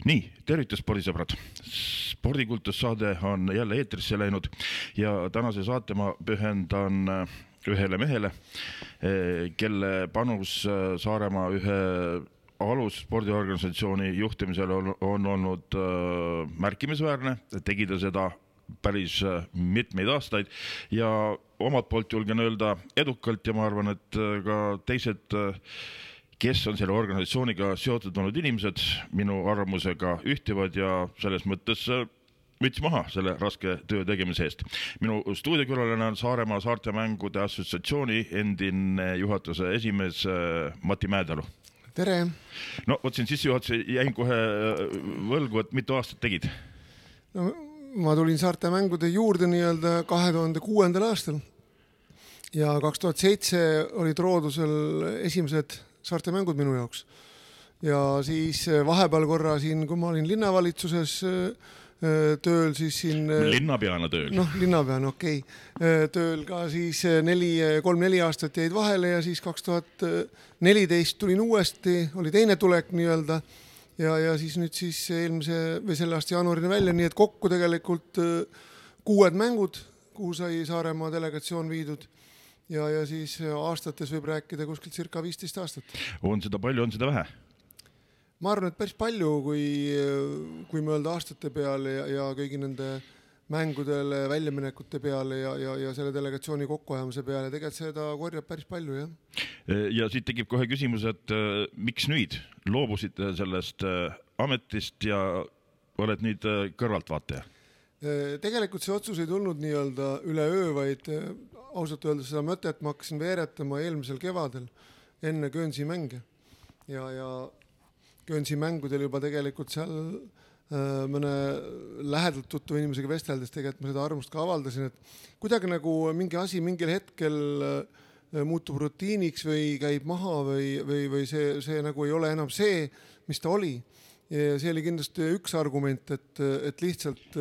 Nii, tervitus spordisõbrad. Spordikultussaade on jälle eetrisse läinud ja tänase saate ma pühendan ühele mehele, kelle panus Saaremaa ühe alus spordiorganisatsiooni juhtimisel on olnud märkimisväärne. Tegi ta seda päris mitmeid aastaid ja omalt poolt julgen öelda edukalt ja ma arvan, et ka teised kes on selle organisatsiooniga seotud olnud inimesed, minu arvamusega ühtivad ja selles mõttes müts maha selle raske töö tegemise eest. Minu stuudiokülaline on Saaremaa Saartemängude Assotsiatsiooni endine juhatuse esimees Mati Mäedalu. Tere! No, siin sissejuhatuse jäin kohe võlgu, et mitu aastat tegid? No, ma tulin Saartemängude juurde 2006. aastal ja 2007 olid Roodusel esimesed Saartemängud minu jaoks. Ja siis vahepeal korra siin, kui ma olin linnavalitsuses tööl, siis siin... Linnapeana tööl. Linnapeana, okei. Tööl ka siis 3-4 aastat jäid vahele ja siis 2014 tulin uuesti, oli teine tulek ja siis nüüd siis eelmise või selle aasta jaanuarina välja, nii et kokku tegelikult 6 mängud, kuhu sai Saaremaa delegatsioon viidud. Ja siis aastates võib rääkida kuskilt circa 15 aastat. On seda palju, on seda vähe? Ma arvan, et päris palju, kui mõelda aastate peale ja kõigi nende mängudele, väljaminekute peale ja selle delegatsiooni kokkuajamise peale. Tegelikult seda korjab päris palju, jah. Ja siit tekib kohe küsimus, et miks nüüd loobusid sellest ametist ja oled nüüd kõrvaltvaataja? Tegelikult see otsus ei tulnud üle öö, vaid ausalt öeldes seda mõtet ma hakkasin veeretama eelmisel kevadel enne Guernsey mänge. Ja Guernsey mängudel juba tegelikult seal mõne lähedalt tuttu inimesega vesteldes tegelikult ma seda arvamust ka avaldasin, et kuidagi nagu mingi asi mingil hetkel muutub rutiiniks või käib maha või see nagu ei ole enam see, mis ta oli. Ja see oli kindlasti üks argument, et lihtsalt...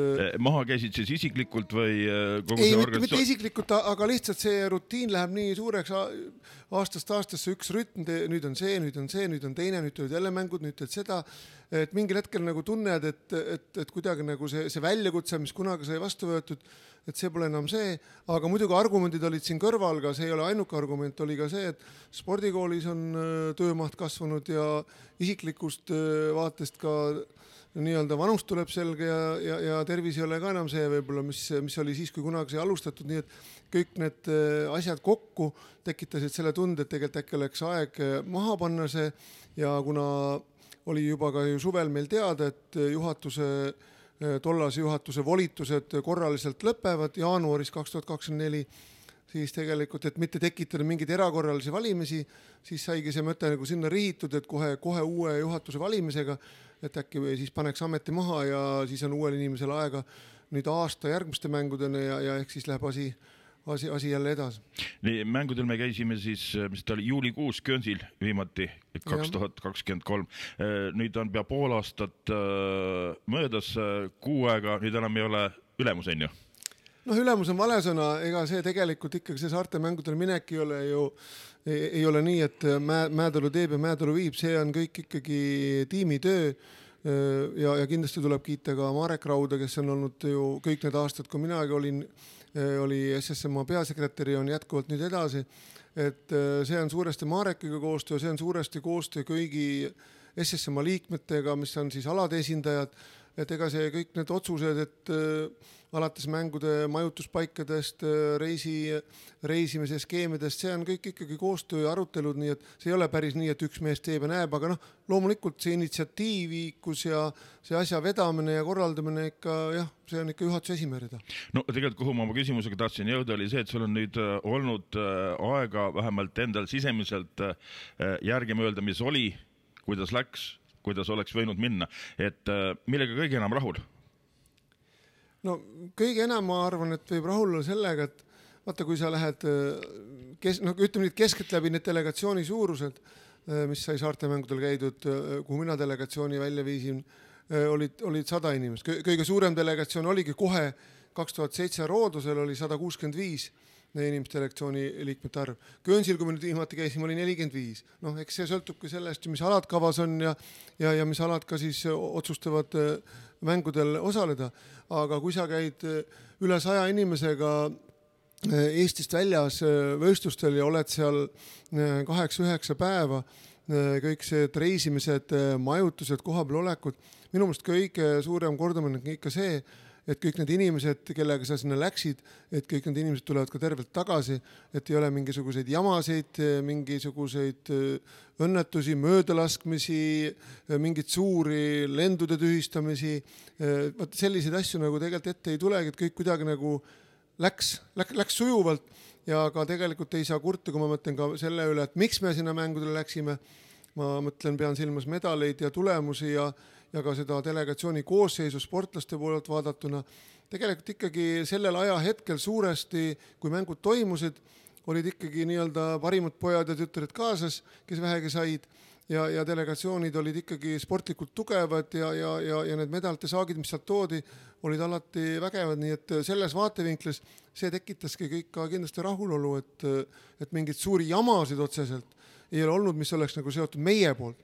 Maha käisid siis isiklikult või kogu see organisatsioon? Mitte isiklikult, aga lihtsalt see rutiin läheb nii suureks aastast aastasse üks rütm, nüüd on see, nüüd on teine, nüüd tulid jälle mängud, nüüd teed seda, et mingil hetkel nagu tunned, et kuidagi nagu see väljakutse, mis kunagi sai vastu võetud, et see pole enam see, aga muidugi argumendid olid siin kõrval, aga see ei ole ainuke argument, oli ka see, et spordikoolis on töömaht kasvanud ja isiklikust vaatest ka vanust tuleb selge ja tervis ei ole ka enam see võib-olla, mis oli siis, kui kunagi sai alustatud, nii et kõik need asjad kokku tekitasid selle tunde, et tegelikult äkki oleks aeg maha panna see ja kuna oli juba ka ju suvel meil teada, et tollase juhatuse volitused korraliselt lõpevad jaanuaris 2024, siis tegelikult, et mitte tekitada mingeid erakorralisi valimisi, siis saigi see mõte nagu sinna rihitud, et kohe uue juhatuse valimisega, et äkki siis paneks ameti maha ja siis on uuel inimesel aega nüüd aasta järgmiste mängudena ja ehk siis läheb asi jälle edasi. Nii, mängudel me käisime siis, mis ta oli juulikuus Guernseyl viimati 2023. Nüüd on pea pool aastat möödas, kuu aega, nüüd enam ei ole ülemus, on ju? Ülemus on vale sõna, ega see tegelikult ikkagi see Saartemängudel minek ei ole nii, et Mäedalu teeb ja Mäedalu viib, see on kõik ikkagi tiimitöö ja kindlasti tuleb kiita ka Marek Rauda, kes on olnud ju kõik need aastad, kui minagi oli SSMA peasekretäri, on jätkuvalt nüüd edasi, et see on suuresti Marekiga koostöö, see on suuresti koostöö kõigi SSMA liikmetega, mis on siis alade esindajad, et ega see kõik need otsused, et alates mängude majutuspaikadest, reisimise skeemidest, see on kõik ikkagi koostöö ja arutelud, nii et see ei ole päris nii, et üks mees teeb ja näeb, aga loomulikult see initsiatiivikus ja see asja vedamine ja korraldamine ikka, jah, see on ikka juhatuse esimerida. No tegelikult, kuhu ma oma küsimusega tahtsin jõuda, oli see, et sul on nüüd olnud aega vähemalt endal sisemiselt järgi mõelda, mis oli, kuidas läks, kuidas oleks võinud minna, et millega kõige enam rahul? No kõige enam ma arvan, et võib rahul olla sellega, et vaata, kui sa lähed, ütleme nüüd keskelt läbi need delegatsiooni suurused, mis sai Saartemängudel käidud, kuhu mina delegatsiooni välja viisin, olid 100 inimest. Kõige suurem delegatsioon oligi kohe 2007 Roodusel oli 165 inimeste delegatsiooni liikmete arv. Guernsey'l, kui me nüüd viimati käisime, oli 45. Noh, eks see sõltubki sellest, mis alad kavas on ja mis alad ka siis otsustavad mängudel osaleda. Aga kui sa käid üle 100 inimesega Eestist väljas võistlustel ja oled seal 8-9 päeva, kõik see reisimised, majutused, kohapeal olekud, minu meelest kõige suurem kordamine on ikka see, et kõik need inimesed, kellega sa sinna läksid, et kõik need inimesed tulevad ka tervelt tagasi, et ei ole mingisuguseid jamasid, mingisuguseid õnnetusi, möödalaskmisi, mingeid suuri lendude tühistamisi. Selliseid asju nagu tegelikult ette ei tulegi, et kõik kuidagi nagu läks sujuvalt ja ka tegelikult ei saa kurta, kui ma mõtlen ka selle üle, et miks me sinna mängudele läksime. Ma mõtlen, pean silmas medaleid ja tulemusi ja ka seda delegatsiooni koosseisu sportlaste poolelt vaadatuna. Tegelikult ikkagi sellel ajahetkel suuresti, kui mängud toimusid, olid ikkagi nii-öelda parimad pojad ja tütred kaasas, kes vähegi said ja delegatsioonid olid ikkagi sportlikult tugevad ja need medalite saagid, mis sealt toodi, olid alati vägevad, nii et selles vaatevinklis see tekitaski kõik ka kindlasti rahulolu, et mingid suuri jamasid otseselt ei ole olnud, mis oleks nagu seotud meie poolt.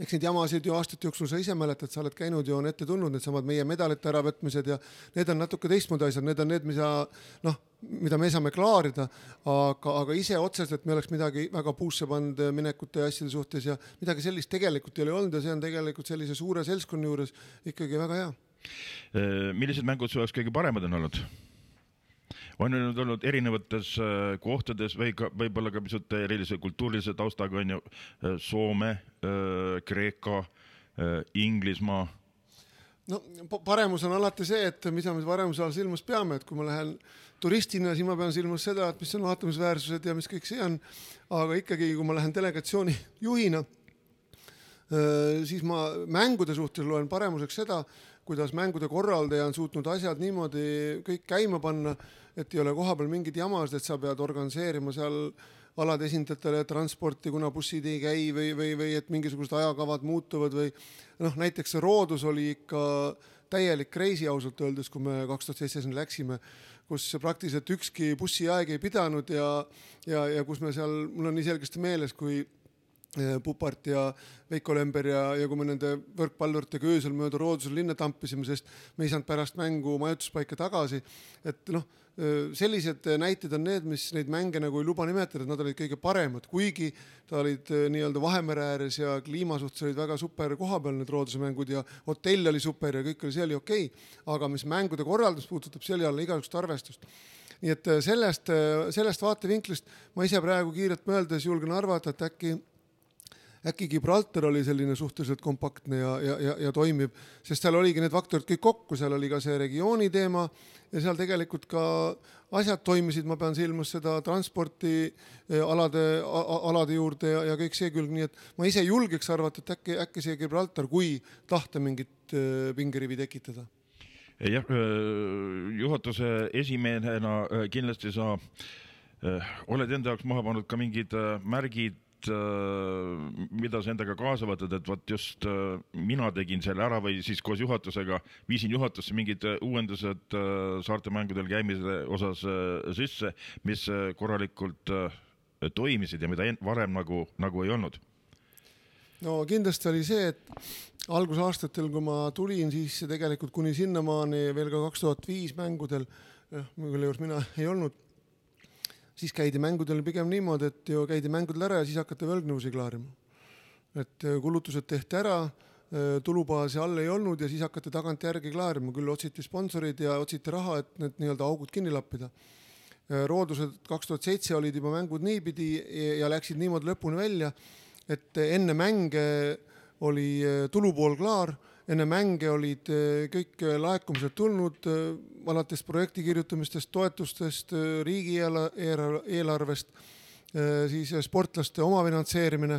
Eks neid jamasid ju aastate jooksul sa ise mäletad, sa oled käinud ja on ette tulnud need samad meie medalite äravõtmised ja need on natuke teistmoodi asjad, need on need, mida me saame klaarida, aga ise otseselt me oleks midagi väga puusse pannud minekute ja asjade suhtes ja midagi sellist tegelikult ei ole olnud ja see on tegelikult sellise suure seltskonna juures ikkagi väga hea. Millised mängud su oleks kõige paremad on olnud? On nüüd olnud erinevates kohtades või võib-olla ka pisut erilise kultuurilise taustaga on ju Soome, Kreeka, Inglismaa. No paremus on alati see, et mida me paremuse all silmas peame, et kui ma lähen turistina, siis ma pean silmas seda, et mis on vaatamisväärsused ja mis kõik see on, aga ikkagi kui ma lähen delegatsiooni juhina, siis ma mängude suhtes loen paremuseks seda, kuidas mängude korraldaja on suutnud asjad niimoodi kõik käima panna, et ei ole kohapeal mingid jamasid, et sa pead organiseerima seal alade esindajatele transporti, kuna bussid ei käi või et mingisugused ajakavad muutuvad või näiteks see Roodus oli ikka täielik kreisi ausalt öeldes, kui me 2007 läksime, kus praktiliselt ükski bussiaeg ei pidanud ja kus me seal, mul on nii selgesti meeles, kui Pupart ja Veiko Lember ja kui me nende võrkpallurtega öösel mööda Roodusel linna tampisime, sest me ei saanud pärast mängu majutuspaika tagasi, et sellised näited on need, mis neid mänge nagu ei luba nimetada, et nad olid kõige paremad, kuigi ta olid nii-öelda Vahemere ääres ja kliima suhtes olid väga super kohapeal need Rooduse mängud ja hotell oli super ja kõik oli, see oli okei, aga mis mängude korraldus puudutab, see oli alla igasugust arvestust. Nii et sellest vaatevinklist ma ise praegu kiirelt mõeldes julgen arvata, et äkki Gibraltar oli selline suhteliselt kompaktne ja toimib, sest seal oligi need faktorid kõik kokku, seal oli ka see regiooni teema ja seal tegelikult ka asjad toimisid, ma pean silmas seda transporti alade juurde ja kõik see külg, nii et ma ise julgeks arvata, et äkki see Gibraltar, kui tahta mingit pingerivi tekitada. Jah, juhatuse esimehena kindlasti sa oled enda jaoks maha pannud ka mingid märgid, mida sa endaga kaasa võtad, et võt just mina tegin selle ära või siis koos juhatusega viisin juhatusse mingid uuendused saarte mängudel käimise osas sisse, mis korralikult toimisid ja mida varem nagu ei olnud. No kindlasti oli see, et algusaastatel, kui ma tulin, siis tegelikult kuni sinnamaani veel ka 2005 mängudel, mille juures mina ei olnud, siis käidi mängudel pigem niimoodi, et ju käidi mängudel ära ja siis hakati võlgnõusi klaarima. Et kulutused tehti ära, tulubaasi all ei olnud ja siis hakati tagant järgi klaarima. Küll otsiti sponsorid ja otsiti raha, et need nii-öelda augud kinni lappida. Roodused 2007 olid juba mängud niipidi ja läksid niimoodi lõpuni välja, et enne mänge oli tulupool klaar, enne mänge olid kõik laekumised tulnud, alates projekti kirjutamistest, toetustest, riigi eelarvest, siis sportlaste omafinantseerimine,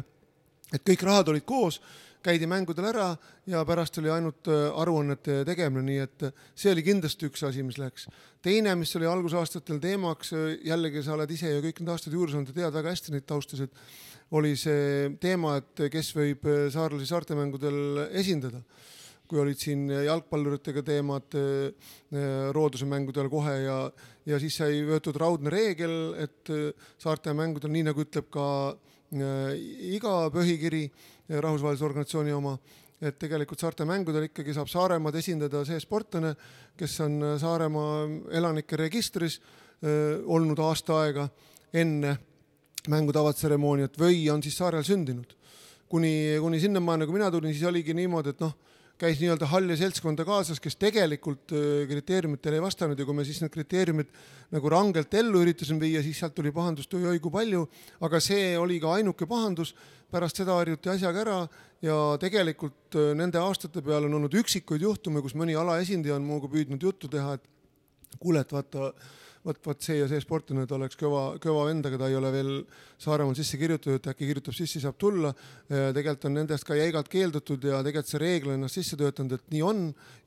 et kõik rahad olid koos, käidi mängudel ära ja pärast oli ainult aruannete tegemine, nii et see oli kindlasti üks asi, mis läks. Teine, mis oli algusaastatel teemaks, jällegi sa oled ise ja kõik need aastad juures olnud ja tead väga hästi neid taustasid, oli see teema, et kes võib saarlasi saartemängudel esindada. kui olid siin jalgpalluritega teemad Rooduse mängudel kohe ja siis sai võetud raudne reegel, et saarte mängudel, nii nagu ütleb ka iga põhikiri, rahvusvahelise organisatsiooni oma, et tegelikult saarte mängudel ikkagi saab Saaremaad esindada see sportlane, kes on Saaremaa elanike registris olnud aasta aega enne mängude avatseremooniat või on siis saarel sündinud. Kuni sinnamaani, nagu mina tulin, siis oligi niimoodi, et käis nii-öelda halli seltskonda kaasas, kes tegelikult kriteeriumitele ei vastanud ja kui me siis need kriteeriumid nagu rangelt ellu üritasime viia, siis sealt tuli pahandust oi kui palju, aga see oli ka ainuke pahandus, pärast seda harjuti asjaga ära ja tegelikult nende aastate peale on olnud üksikuid juhtume, kus mõni alaesindaja on muuga püüdnud juttu teha, et kuule, et vaat see ja see sportlane, et oleks kõva vendaga, ta ei ole veel Saaremaal sisse kirjutatud, et äkki kirjutab sisse, saab tulla. Tegelikult on nendest ka jäigalt keeldutud ja tegelikult see reegel ennast sisse töötanud, et nii on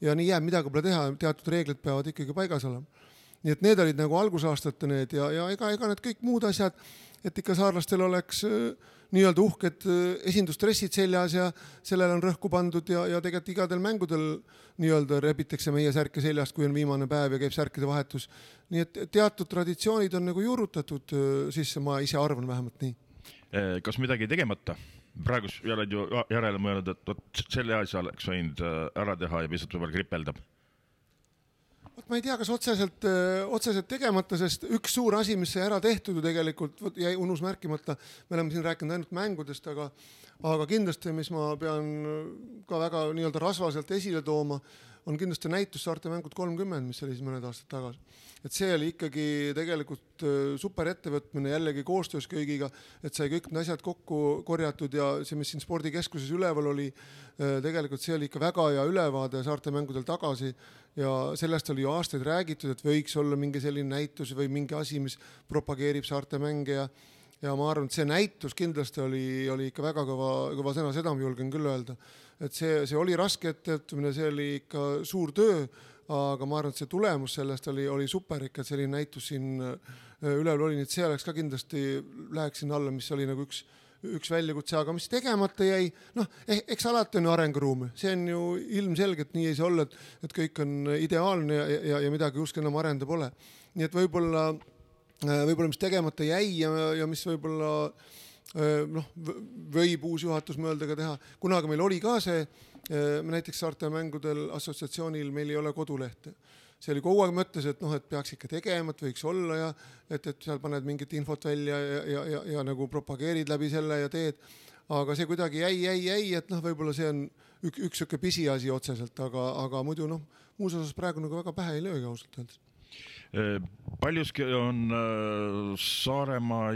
ja nii jääb, midagi pole teha, teatud reeglid peavad ikkagi paigas olema. Nii et need olid nagu algusaastate need ja ega need kõik muud asjad, et ikka saarlastel oleks nii-öelda uhked esindustressid seljas ja sellele on rõhku pandud ja tegelikult igadel mängudel nii-öelda rebitakse meie särke seljast, kui on viimane päev ja käib särkide vahetus. Nii et teatud traditsioonid on nagu juurutatud sisse, ma ise arvan vähemalt nii. Kas midagi tegemata? Praegu oled ju järele mõelnud, et selle asja oleks võinud ära teha ja pisut võib-olla kripeldab. Ma ei tea, kas otseselt tegemata, sest üks suur asi, mis sai ära tehtud ju tegelikult, jäi unus märkimata, me oleme siin rääkinud ainult mängudest, aga kindlasti, mis ma pean ka väga nii-öelda rasvaselt esile tooma, on kindlasti näitus Saarte mängud 30, mis oli siis mõned aastad tagasi. Et see oli ikkagi tegelikult super ettevõtmine jällegi koostöös kõigiga, et sai kõik need asjad kokku korjatud ja see, mis siin spordikeskuses üleval oli, tegelikult see oli ikka väga hea ülevaade Saarte mängudel tagasi ja sellest oli ju aastaid räägitud, et võiks olla mingi selline näitus või mingi asi, mis propageerib Saarte mänge ja ma arvan, et see näitus kindlasti oli ikka väga kõva sõna, seda ma julgen küll öelda. Et see oli raske ettevõtmine, see oli ikka suur töö, aga ma arvan, et see tulemus sellest oli super ikka, et selline näitus siin üleval oli, nii et see oleks ka kindlasti läheks sinna alla, mis oli nagu üks väljakutse, aga mis tegemata jäi, eks alati on ju arenguruumi, see on ju ilmselgelt nii ei saa olla, et kõik on ideaalne ja midagi just enam arenda pole. Nii et võib-olla mis tegemata jäi ja mis võib-olla võib uus juhatus mõelda ka teha. Kunagi meil oli ka see, näiteks Saarte mängudel assotsiatsioonil meil ei ole kodulehte. See oli kogu aeg mõttes, et peaks ikka tegema, et võiks olla ja et seal paned mingit infot välja ja nagu propageerid läbi selle ja teed. Aga see kuidagi jäi, et võib-olla see on üks siuke pisiasi otseselt, aga muidu muus osas praegu nagu väga pähe ei löögi ausalt öeldes. Paljuski on Saaremaa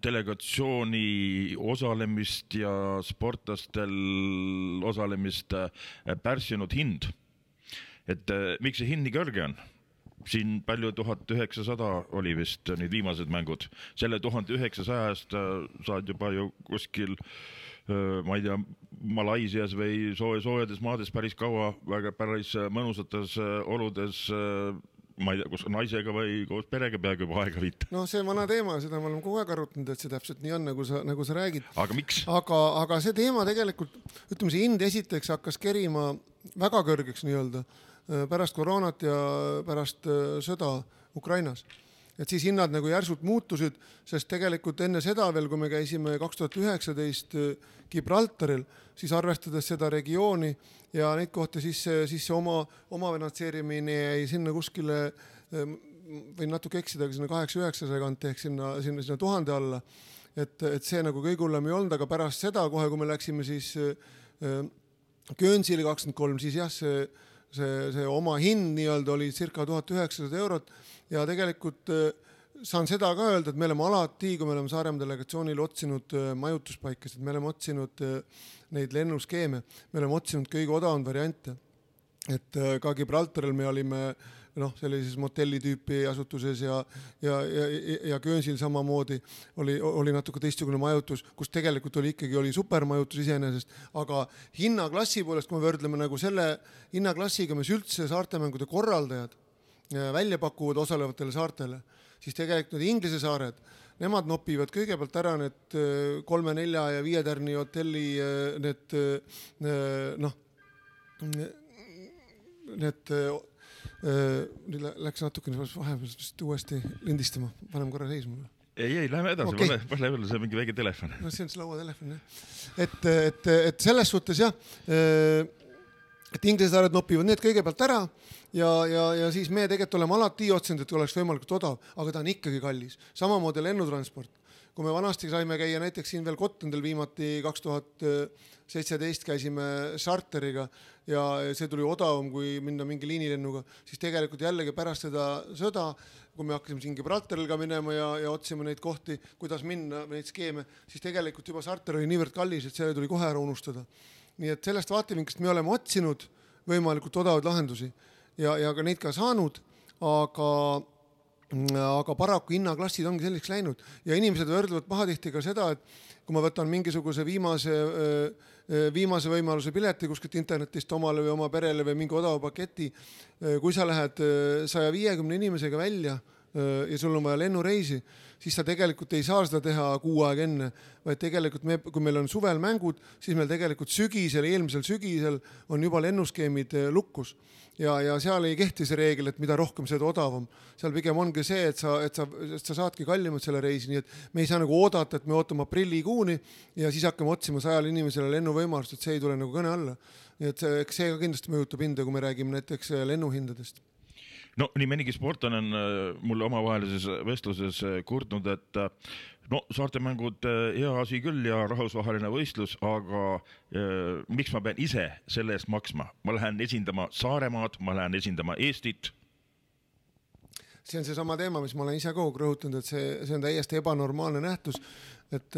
delegatsiooni osalemist ja sportlastel osalemist pärssinud hind. Et miks see hind nii kõrge on? Siin palju 1900 oli vist need viimased mängud. Selle 1900-st saad juba ju kuskil, ma ei tea, Malaisias või soojades maades päris kaua, väga päris mõnusates oludes, ma ei tea, kus naisega või koos perega peaaegu juba aega viita. See vana teema, seda me oleme kogu aeg arutanud, et see täpselt nii on, nagu sa räägid. Aga miks? Aga see teema tegelikult, ütleme, see hind esiteks hakkas kerima väga kõrgeks nii-öelda pärast koroonat ja pärast sõda Ukrainas. Et siis hinnad nagu järsult muutusid, sest tegelikult enne seda veel, kui me käisime 2019 Gibraltaril, siis arvestades seda regiooni ja neid kohti, siis see oma finantseerimine jäi sinna kuskile, võin natuke eksida, sinna 800-900 kanti ehk sinna 1000 alla. Et see nagu kõige hullem ei olnud, aga pärast seda kohe, kui me läksime siis Guernsey'le 23, siis jah, see oma hind nii-öelda oli circa 1900 eurot ja tegelikult saan seda ka öelda, et me oleme alati, kui me oleme Saaremaa delegatsioonil otsinud majutuspaikasid, me oleme otsinud neid lennuskeeme, me oleme otsinud kõige odavamad variante. Et ka Gibraltaril me olime sellises motelli tüüpi asutuses ja Guernsey'l samamoodi oli natuke teistsugune majutus, kus tegelikult oli supermajutus iseenesest, aga hinnaklassi poolest, kui me võrdleme nagu selle hinnaklassiga, mis üldse saartemängude korraldajad välja pakuvad osalevatele saartele, siis tegelikult need Inglise saared, nemad nopivad kõigepealt ära need 3, 4 ja 5 tärni hotelli need need läks natukene vahepeal uuesti lindistama, panem korra seisma. Ei, lähme edasi, okay. Lähme see mingi väike telefon. No see on see lauatelefon, jah. Et selles suhtes jah, et inglised nopivad need kõigepealt ära ja siis me tegelikult oleme alati otsinud, et oleks võimalikult odav, aga ta on ikkagi kallis. Samamoodi lennutransport. Kui me vanasti saime käia näiteks siin veel Kottendel viimati 2017 käisime charteriga ja see tuli odavam kui minna mingi liinilennuga, siis tegelikult jällegi pärast seda sõda, kui me hakkasime siin Gibraltaril ka minema ja otsime neid kohti, kuidas minna, neid skeeme, siis tegelikult juba charter oli niivõrd kallis, et see tuli kohe ära unustada. Nii et sellest vaatevinklist me oleme otsinud võimalikult odavaid lahendusi ja ka neid ka saanud, aga paraku hinnaklassid ongi selliseks läinud ja inimesed võrdlevad pahatihti ka seda, et kui ma võtan mingisuguse viimase võimaluse pileti kuskilt internetist omale või oma perele või mingi odava paketi, kui sa lähed 150 inimesega välja ja sul on vaja lennureisi, siis sa tegelikult ei saa seda teha kuu aega enne, vaid tegelikult kui meil on suvel mängud, siis meil tegelikult eelmisel sügisel on juba lennuskeemid lukkus. Ja seal ei kehti see reegel, et mida rohkem seda odavam. Seal pigem ongi see, et sa saadki kallimalt selle reisi, nii et me ei saa nagu oodata, et me ootame aprillikuuni ja siis hakkame otsima 100 inimesele lennuvõimalust, et see ei tule nagu kõne alla. Nii et see ka kindlasti mõjutab hinda, kui me räägime näiteks lennuhindadest. No nii mõnigi sportlane on mulle omavahelises vestluses kurtnud, et saartemängud hea asi küll ja rahvusvaheline võistlus, aga miks ma pean ise selle eest maksma? Ma lähen esindama Saaremaad, ma lähen esindama Eestit. See on see sama teema, mis ma olen ise kogu rõhutanud, et see on täiesti ebanormaalne nähtus, et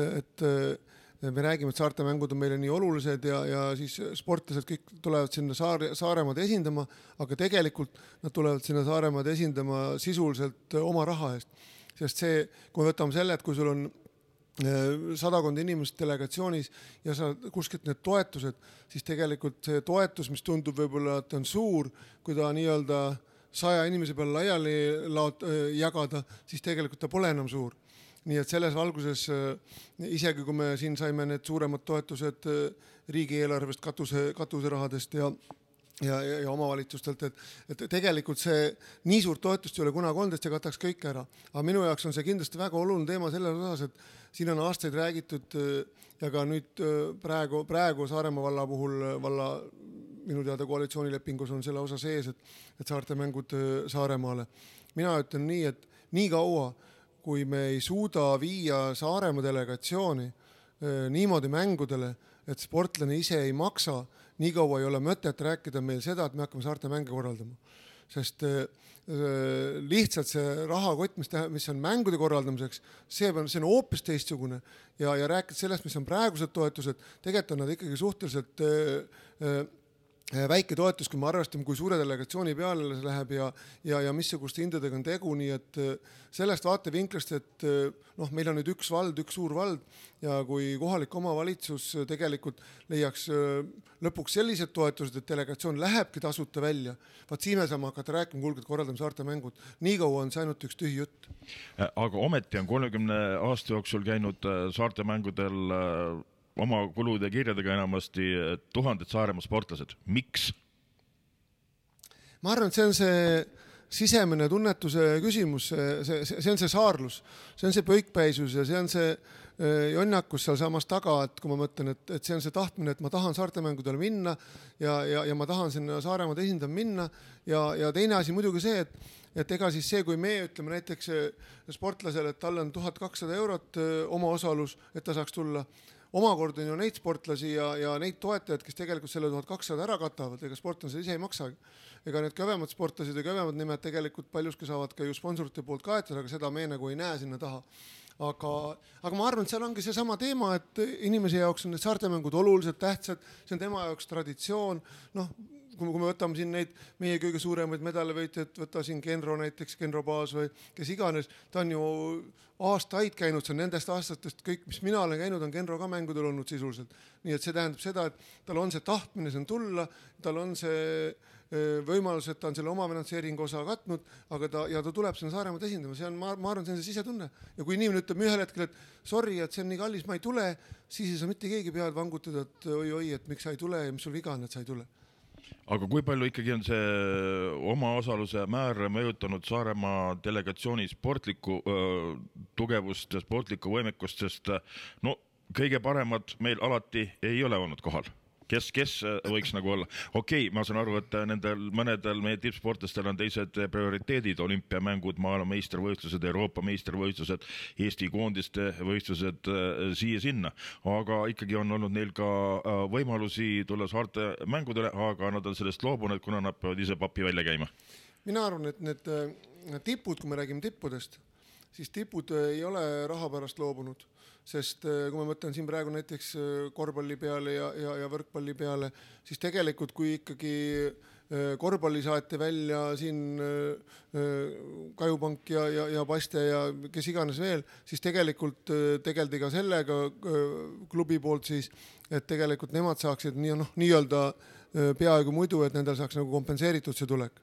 me räägime, et saartemängud on meile nii olulised ja siis sportlased kõik tulevad sinna Saaremaad esindama, aga tegelikult nad tulevad sinna Saaremaad esindama sisuliselt oma raha eest. Sest see, kui me võtame selle, et kui sul on 100 inimest delegatsioonis ja sa kuskilt need toetused, siis tegelikult see toetus, mis tundub võib-olla, et on suur, kui ta nii-öelda 100 inimese peale laiali jagada, siis tegelikult ta pole enam suur. Nii et selles valguses, isegi kui me siin saime need suuremad toetused riigieelarvest, katuserahadest ja omavalitsustelt, et tegelikult see nii suurt toetust ei ole kunagi olnud, et see kataks kõik ära. Aga minu jaoks on see kindlasti väga oluline teema selles osas, et siin on aastaid räägitud ja ka nüüd praegu Saaremaa valla puhul minu teada koalitsioonilepingus on selle osa sees, et saartemängud Saaremaale. Mina ütlen nii, et nii kaua, kui me ei suuda viia Saaremaa delegatsiooni niimoodi mängudele, et sportlane ise ei maksa, nii kaua ei ole mõtet rääkida meil seda, et me hakkame saarte mänge korraldama. Sest lihtsalt see rahakott, mis on mängude korraldamiseks, see on hoopis teistsugune ja rääkida sellest, mis on praegused toetused, tegelikult on nad ikkagi suhteliselt väike toetus, kui me arvestame, kui suure delegatsiooni peale see läheb ja missuguste hindadega on tegu, nii et sellest vaatevinklast, et meil on nüüd üks suur vald ja kui kohalik omavalitsus tegelikult leiaks lõpuks sellised toetused, et delegatsioon lähebki tasuta välja, vaat siin me saame hakata rääkima, kuulge, et korraldame saarte mängud. Nii kaua on see ainult üks tühi jutt. Aga ometi on 30 aasta jooksul käinud saarte mängudel oma kulude kirjadega enamasti 1000 Saaremaa sportlased. Miks? Ma arvan, et see on see sisemine tunnetuse küsimus, see on see saarlus, see on see pöikpäisus ja see on see jonnakus seal samas taga, et kui ma mõtlen, et see on see tahtmine, et ma tahan saartemängudele minna ja ma tahan sinna Saaremaad esindama minna ja teine asi muidugi see, et ega siis see, kui me ütleme näiteks sportlasele, et tal on 1200 eurot oma osalus, et ta saaks tulla, omakorda on ju neid sportlasi ja neid toetajaid, kes tegelikult selle 1200 ära katavad, ega sportlased ise ei maksagi. Ega need kõvemad sportlased ja kõvemad nimed tegelikult paljuski saavad ka ju sponsorite poolt kaetada, aga seda me nagu ei näe sinna taha. Aga ma arvan, et seal ongi see sama teema, et inimese jaoks on need saartemängud oluliselt tähtsad, see on tema jaoks traditsioon, kui me võtame siin neid meie kõige suuremaid medalivõitjaid, võtta siin Genro näiteks, Genro Baas või kes iganes, ta on ju aastaid käinud, see on nendest aastatest kõik, mis mina olen käinud, on Genro ka mängudel olnud sisuliselt. Nii et see tähendab seda, et tal on see tahtmine siin tulla, tal on see võimalus, et ta on selle omafinantseeringu osa katnud, aga ta tuleb sinna Saaremaad esindama, see on, ma arvan, see on see sisetunne. Ja kui inimene ütleb ühel hetkel, et sorry, et see on nii kallis, ma ei tule, siis ei saa mitte keegi pead vangutada, et oi, et miks sa ei tule ja mis sul viga on, et sa ei tule. aga kui palju ikkagi on see omaosaluse määr mõjutanud Saaremaa delegatsiooni sportlikku tugevust ja sportlikku võimekust, sest no kõige paremad meil alati ei ole olnud kohal. Kes võiks nagu olla? Okei, ma saan aru, et mõnedel meie tippsportlastel on teised prioriteedid, olümpiamängud, maailmameistrivõistlused, Euroopa meistrivõistlused, Eesti koondiste võistlused siia-sinna, aga ikkagi on olnud neil ka võimalusi tulla saarte mängudele, aga nad on sellest loobunud, kuna nad peavad ise papi välja käima. Mina arvan, et need tipud, kui me räägime tippudest, siis tipud ei ole raha pärast loobunud. Sest kui ma mõtlen siin praegu näiteks korvpalli peale ja võrkpalli peale, siis tegelikult kui ikkagi korvpalli saati välja siin Kajupank ja Paste ja kes iganes veel, siis tegelikult tegeldi ka sellega klubi poolt siis, et tegelikult nemad saaksid nii-öelda peaaegu muidu, et nendel saaks nagu kompenseeritud see tulek.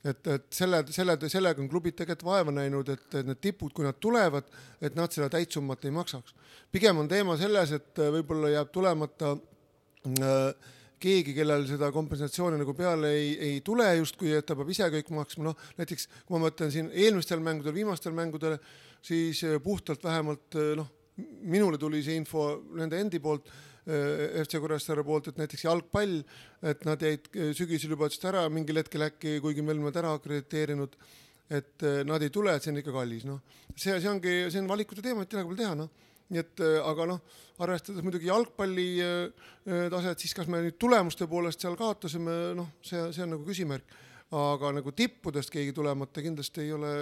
Et sellega on klubid tegelikult vaeva näinud, et need tipud, kui nad tulevad, et nad seda täitsummat ei maksaks. Pigem on teema selles, et võib-olla jääb tulemata keegi, kellel seda kompensatsiooni nagu peale ei tule justkui, et ta peab ise kõik maksma. Näiteks, kui ma mõtlen siin eelmistel mängudel, viimastel mängudel, siis puhtalt vähemalt minule tuli see info nende endi poolt, FC Kuressaare poolt, et näiteks jalgpall, et nad jäid sügisel juba ära mingil hetkel äkki, kuigi me oleme ära akrediteerinud, et nad ei tule, et see on ikka kallis. See on valikute teema, et midagi teha. Nii et, aga arvestades muidugi jalgpalli taset, siis kas me nüüd tulemuste poolest seal kaotasime, see on nagu küsimärk. Aga nagu tippudest keegi tulemata kindlasti ei ole,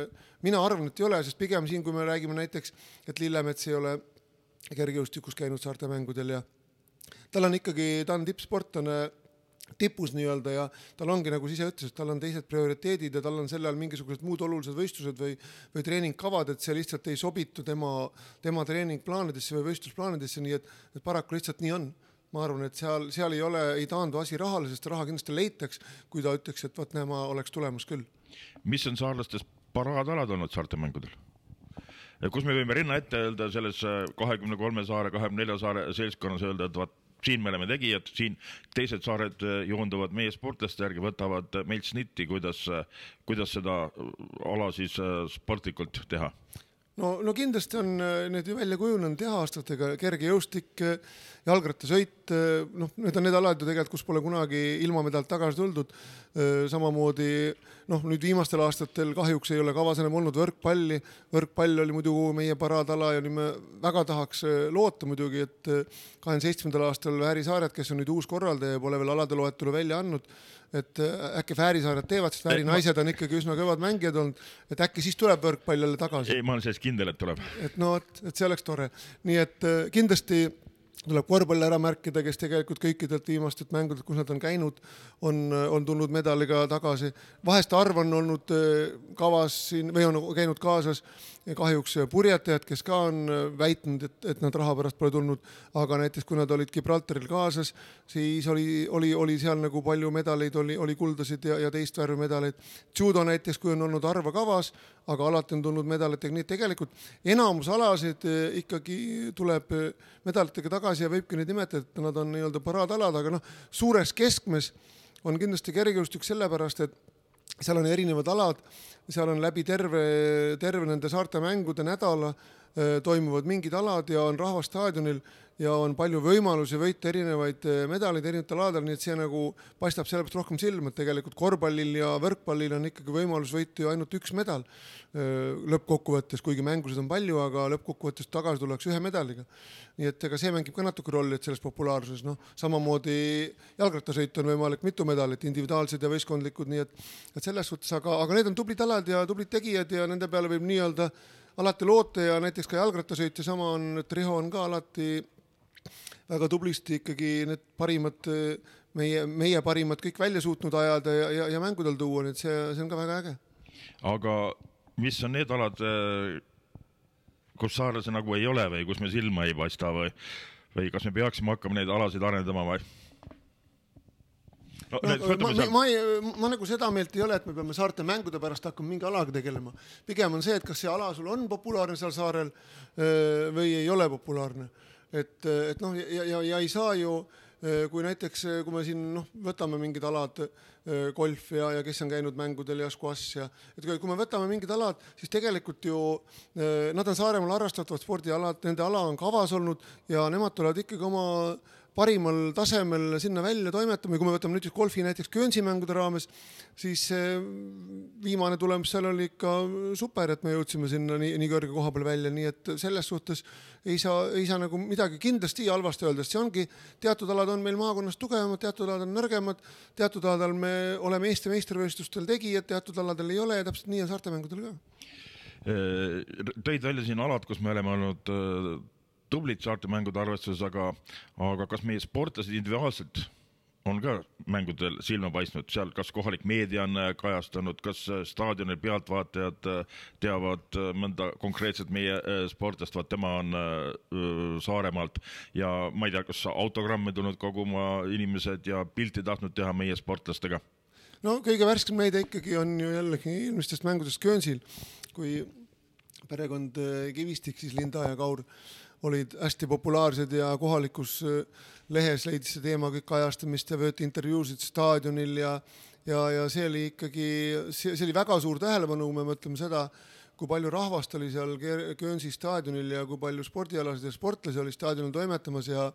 mina arvan, et ei ole, sest pigem siin, kui me räägime näiteks, et Lillemets ei ole kergejõustikus käinud saarte mängudel ja ta on tippsportlane tipus nii-öelda ja tal ongi, nagu ise ütles, et tal on teised prioriteedid ja tal on selle all mingisugused muud olulised võistlused või treeningkavad, et see lihtsalt ei sobitu tema treeningplaanidesse või võistlusplaanidesse, nii et paraku lihtsalt nii on. Ma arvan, et seal ei taandu asi rahale, sest raha kindlasti leitaks, kui ta ütleks, et võt näema oleks tulemus küll. Mis on saarlastes paraadalad olnud saarte mängudel? Kus me võime rinna ette öelda selles 23 saare, 24 saare seltskonnas öelda, et siin me oleme tegijad, siin teised saared joonduvad meie sportlaste järgi, võtavad meilt snitti, kuidas seda ala siis sportlikult teha? No kindlasti on need ju välja kujunenud aastatega, kergejõustik, jalgrattasõit, need on need alad ju tegelikult, kus pole kunagi ilma medalt tagasi tuldud. Samamoodi, nüüd viimastel aastatel kahjuks ei ole kavas enam olnud võrkpalli. Võrkpall oli muidu meie paraadala ja me väga tahaks loota muidugi, et 27. aastal Väärisaared, kes on nüüd uus korraldaja, pole veel alade loetelu välja andnud, et äkki Väärisaared teevad, sest Vääri naised on ikkagi üsna kõvad mängijad olnud, et äkki siis tuleb võrkpall jälle tagasi. Ei, ma olen sellest kindel, et tuleb. Et see oleks tore. Nii et kindlasti tuleb korvpall ära märkida, kes tegelikult kõikidelt viimastelt mängudelt, kus nad on käinud, on tulnud medaliga tagasi. Vahest arv on olnud kavas siin või on käinud kaasas kahjuks purjetajad, kes ka on väitnud, et nad raha pärast pole tulnud, aga näiteks kui nad olid Gibraltaril kaasas, siis oli seal nagu palju medaleid, oli kuldasid ja teist värvi medaleid. Judo näiteks, kui on olnud arva kavas, aga alati on tulnud medalitega, nii tegelikult enamus alasid ikkagi tuleb medalitega tagasi ja võibki neid nimetada, et nad on nii-öelda paraadalad, aga suures keskmes on kindlasti kergejõustik sellepärast, et seal on erinevad alad, seal on läbi terve nende saarte mängude nädala toimuvad mingid alad ja on rahvastaadionil ja on palju võimalusi võita erinevaid medaleid erinevatel aladel, nii et see nagu paistab sellepärast rohkem silma, et tegelikult korvpallil ja võrkpallil on ikkagi võimalus võita ju ainult üks medal lõppkokkuvõttes, kuigi mängusid on palju, aga lõppkokkuvõttes tagasi tullakse ühe medaliga. Nii et ega see mängib ka natuke rolli, et selles populaarsuses, samamoodi jalgrattasõit on võimalik mitu medalit, individuaalsed ja võistkondlikud, nii et selles suhtes, aga need on tublid alad ja tublid tegijad ja nende peale võib nii-öelda alati loota ja näiteks ka jalgrattasõit ja sama on, et Riho on ka alati väga tublisti ikkagi need parimad, meie parimad kõik välja suutnud ajada ja mängudel tuua, nii et see on ka väga äge. Aga mis on need alad, kus saarlase nagu ei ole või kus me silma ei paista või kas me peaksime hakkama neid alasid arendama või? Ma nagu seda meelt ei ole, et me peame saarte mängude pärast hakkama mingi alaga tegelema. Pigem on see, et kas see ala sul on populaarne seal saarel või ei ole populaarne. Ja ei saa ju kui näiteks, kui me siin võtame mingid alad, golf ja kes on käinud mängudel ja squash ja kui me võtame mingid alad, siis tegelikult ju nad on Saaremaal harrastatavad spordialad, nende ala on kavas olnud ja nemad tulevad ikkagi oma parimal tasemel sinna välja toimetama ja kui me võtame nüüd golfi näiteks Guernsey mängude raames, siis viimane tulemus seal oli ikka super, et me jõudsime sinna nii kõrge koha peal välja, nii et selles suhtes ei saa nagu midagi kindlasti halvasti öelda, sest see ongi, teatud alad on meil maakonnas tugevamad, teatud alad on nõrgemad, teatud aladel me oleme Eesti meistrivõistlustel tegijad, teatud aladel ei ole ja täpselt nii on saartemängudel ka. Tõid välja siin alad, kus me oleme olnud tublid saartemängude arvestuses, aga kas meie sportlased individuaalselt on ka mängudel silma paistnud, seal kas kohalik meedia on kajastanud, kas staadionil pealtvaatajad teavad mõnda konkreetselt meie sportlast, vaat tema on Saaremaalt ja ma ei tea, kas autogramme tulnud koguma inimesed ja pilti tahtnud teha meie sportlastega? No kõige värskem näide ikkagi on ju jällegi eelmistest mängudest Guernseyl, kui perekond Kivistik, siis Linda ja Kaur olid hästi populaarsed ja kohalikus lehes leidis see teema kõik kajastamist ja võeti intervjuusid staadionil ja see oli ikkagi, see oli väga suur tähelepanu, kui me mõtleme seda, kui palju rahvast oli seal Guernsey staadionil ja kui palju spordialasid ja sportlasi oli staadionil toimetamas ja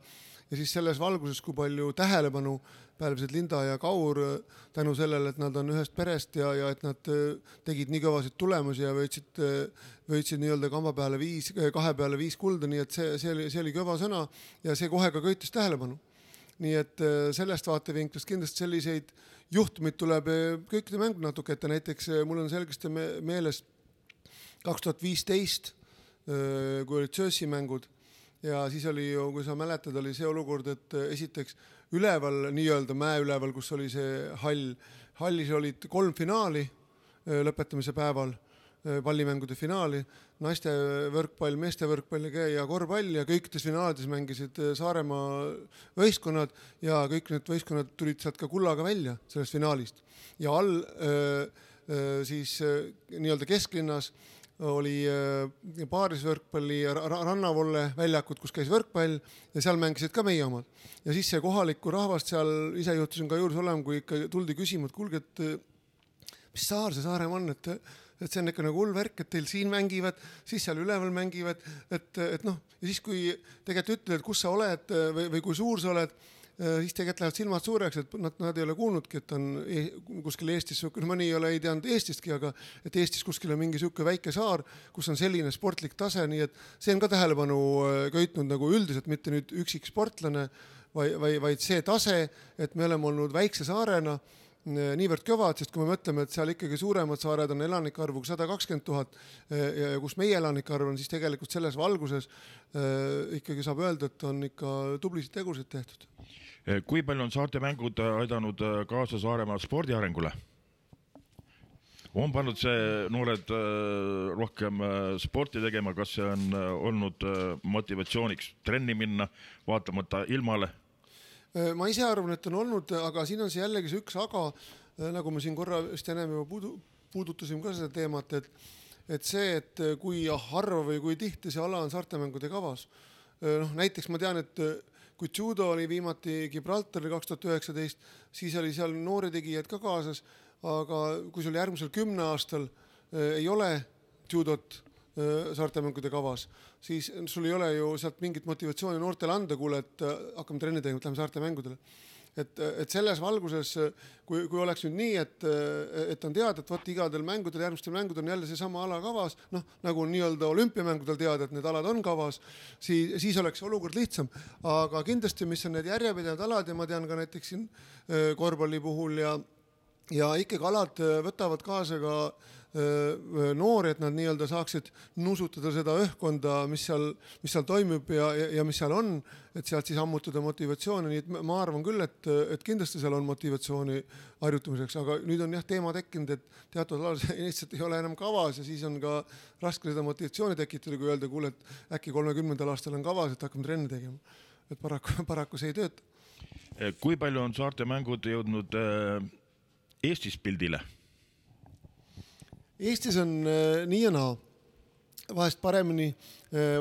siis selles valguses, kui palju tähelepanu pälvisid Linda ja Kaur tänu sellele, et nad on ühest perest ja et nad tegid nii kõvasid tulemusi ja võitsid nii-öelda kahe peale 5 kulda, nii et see oli kõva sõna ja see kohe ka köitis tähelepanu. Nii et sellest vaatevinklist kindlasti selliseid juhtumid tuleb kõikide mängud natuke ette, näiteks mul on selgesti meeles 2015, kui olid Jersey mängud, ja siis oli ju, kui sa mäletad, oli see olukord, et esiteks üleval, nii-öelda mäe üleval, kus oli see hallis olid 3 finaali lõpetamise päeval, pallimängude finaali, naiste võrkpall, meeste võrkpall ja korvpall ja kõikides finaalides mängisid Saaremaa võistkonnad ja kõik need võistkonnad tulid sealt ka kullaga välja sellest finaalist. Ja all siis nii-öelda kesklinnas oli paarisvõrkpalli rannavolle väljakud, kus käis võrkpall ja seal mängisid ka meie omad. Ja siis see kohalikku rahvast seal, ise juhtusin ka juures olema, kui ikka tuldi küsima, et kuulge, et mis saar see Saaremaa on, et see on ikka nagu hull värk, et teil siin mängivad, siis seal üleval mängivad, et ja siis kui tegelikult ütled, et kus sa oled või kui suur sa oled, siis tegelikult lähevad silmad suureks, et nad ei ole kuulnudki, et on kuskil Eestis, mõni ei teadnud Eestistki, aga et Eestis kuskil on mingi siuke väike saar, kus on selline sportlik tase, nii et see on ka tähelepanu köitnud nagu üldiselt, mitte nüüd üksik sportlane, vaid see tase, et me oleme olnud väikse saarena niivõrd kõvad, sest kui me mõtleme, et seal ikkagi suuremad saared on elanikarvuga 120 000 ja kus meie elanikarv on, siis tegelikult selles valguses ikkagi saab öelda, et on ikka tublisid tegusid tehtud. Kui palju on saartemängud aidanud kaasa Saaremaa spordi arengule? On pannud see noored rohkem sporti tegema, kas see on olnud motivatsiooniks trenni minna, vaatamata ilmale? Ma ise arvan, et on olnud, aga siin on see jällegi see üks aga, nagu me siin korra vist ennem juba puudutasime ka seda teemat, et see, et kui harva või kui tihti see ala on saartemängude kavas. Näiteks ma tean, et kui judo oli viimati Gibraltari 2019, siis oli seal noori tegijad ka kaasas, aga kui sul järgmisel 10 aastal ei ole judot saartemängude kavas, siis sul ei ole ju sealt mingit motivatsiooni noortele anda, kuule, et hakkame trenni tegema, et lähme saartemängudele. Et selles valguses, kui oleks nüüd nii, et on teada, et võt igadel mängudel, järgmistel mängudel on jälle see sama ala kavas, nagu nii-öelda olümpiamängudel teada, et need alad on kavas, siis oleks olukord lihtsam. Aga kindlasti, mis on need järjepidevad alad ja ma tean ka näiteks siin korvpalli puhul ja ikkagi alad võtavad kaasa ka noori, et nad nii-öelda saaksid nuusutada seda õhkkonda, mis seal toimub ja mis seal on, et sealt siis ammutada motivatsiooni, nii et ma arvan küll, et kindlasti seal on motivatsiooni harjutamiseks, aga nüüd on teema tekkinud, et teatud alal lihtsalt ei ole enam kavas ja siis on ka raske seda motivatsiooni tekitada, kui öelda, kuule, et äkki 30. aastal on kavas, et hakkame trenni tegema. Et paraku see ei tööta. Kui palju on saartemängud jõudnud Eestis pildile? Eestis on nii ja naa, vahest paremini,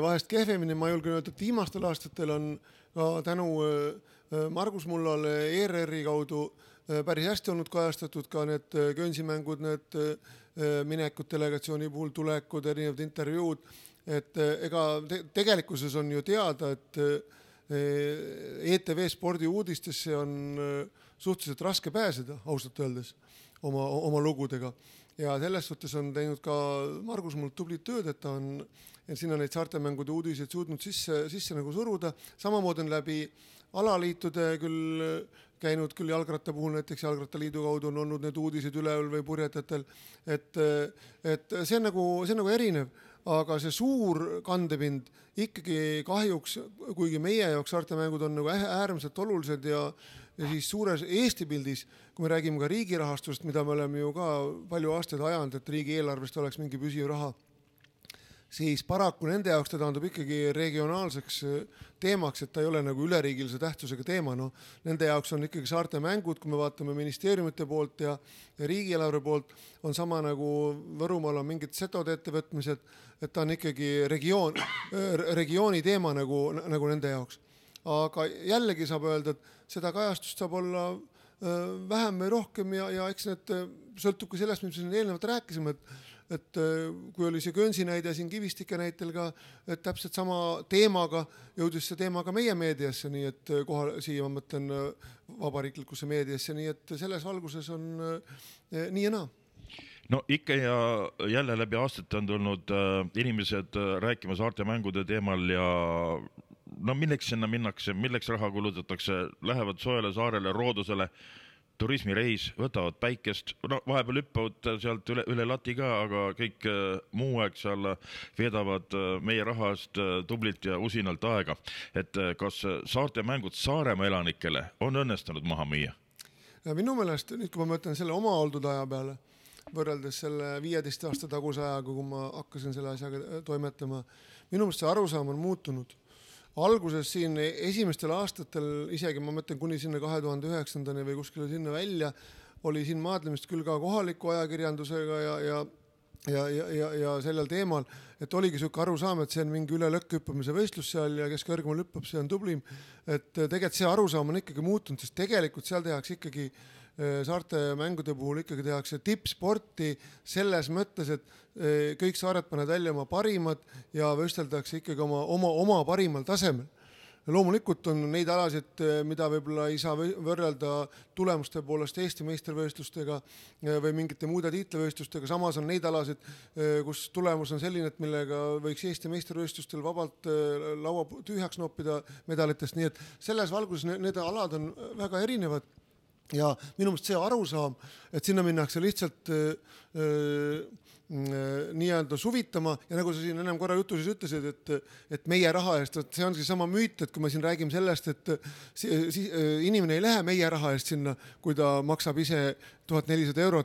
vahest kehvemini, ma julgen öelda, et viimastel aastatel on ka tänu Margus Mullal ERR-i kaudu päris hästi olnud kajastatud ka need Guernsi-mängud, need minekud delegatsiooni puhul, tulekud, erinevad intervjuud, et ega tegelikkuses on ju teada, et ETV spordi uudistesse on suhteliselt raske pääseda, ausalt öeldes, oma lugudega. Ja selles suhtes on teinud ka Margus Mull tublit tööd, et ta on sinna neid saartemängude uudiseid suutnud sisse nagu suruda. Samamoodi on läbi alaliitude küll käinud küll jalgratta puhul, näiteks Jalgrattaliidu kaudu on olnud need uudised üleval või purjetatel, et see on nagu erinev, aga see suur kandepind ikkagi kahjuks, kuigi meie jaoks saartemängud on nagu äärmiselt olulised ja siis suures Eesti pildis, kui me räägime ka riigi rahastust, mida me oleme ju ka palju aastaid ajanud, et riigi eelarvest oleks mingi püsiv raha, siis paraku nende jaoks ta taandub ikkagi regionaalseks teemaks, et ta ei ole nagu üleriigilise tähtsusega teema. No, nende jaoks on ikkagi saarte mängud, kui me vaatame ministeeriumite poolt ja riigieelarve poolt, on sama nagu Võrumaal on mingid setode ettevõtmised, et ta on ikkagi regiooni teema nagu nende jaoks. Aga jällegi saab öelda, et seda kajastust saab olla vähem või rohkem ja eks need sõltubki sellest, mis me eelnevalt rääkisime, et kui oli see Guernsey näide siin Kivistike näitel ka, et täpselt sama teemaga jõudis see teema ka meie meediasse, nii et siia ma mõtlen vabariiklikusse meediasse, nii et selles valguses on nii ja naa. No ikka ja jälle läbi aastate on tulnud inimesed rääkima saarte mängude teemal ja no milleks sinna minnakse, milleks raha kulutatakse, lähevad soojale saarele, roodusele, turismireis, võtavad päikest, no vahepeal hüppavad sealt üle lati ka, aga kõik muu aeg seal veedavad meie rahast tublit ja usinalt aega. Et kas saarte mängud Saaremaa elanikele on õnnestunud maha müüa? Ja minu meelest, nüüd kui ma mõtlen selle oma oldud aja peale, võrreldes selle 15 aasta taguse ajaga, kui ma hakkasin selle asjaga toimetama, minu meelest see arusaam on muutunud. Alguses siin esimestel aastatel, isegi ma mõtlen kuni sinna 2009. või kuskile sinna välja, oli siin maadlemist küll ka kohaliku ajakirjandusega ja sellel teemal, et oligi selline arusaam, et see on mingi üle lõkkhüppamise võistlus seal ja kes kõrgemal hüppab, see on tublim. Et tegelikult see arusaam on ikkagi muutunud, sest tegelikult seal tehakse ikkagi saarte mängude puhul ikkagi tehakse tippsporti selles mõttes, et kõik saared panevad välja oma parimad ja võisteldakse ikkagi oma parimal tasemel. Loomulikult on neid alasid, mida võib-olla ei saa võrrelda tulemuste poolest Eesti meistrivõistlustega või mingite muude tiitlivõistlustega. Samas on neid alasid, kus tulemus on selline, et millega võiks Eesti meistrivõistlustel vabalt laua tühjaks noppida medalitest. Nii et selles valguses need alad on väga erinevad. Ja minu meelest see arusaam, et sinna minnakse lihtsalt nii-öelda suvitama ja nagu sa siin ennem korra jutuses ütlesid, et meie raha eest, see on sama müüt, et kui me siin räägime sellest, et inimene ei lähe meie raha eest sinna, kui ta maksab ise 1400 €,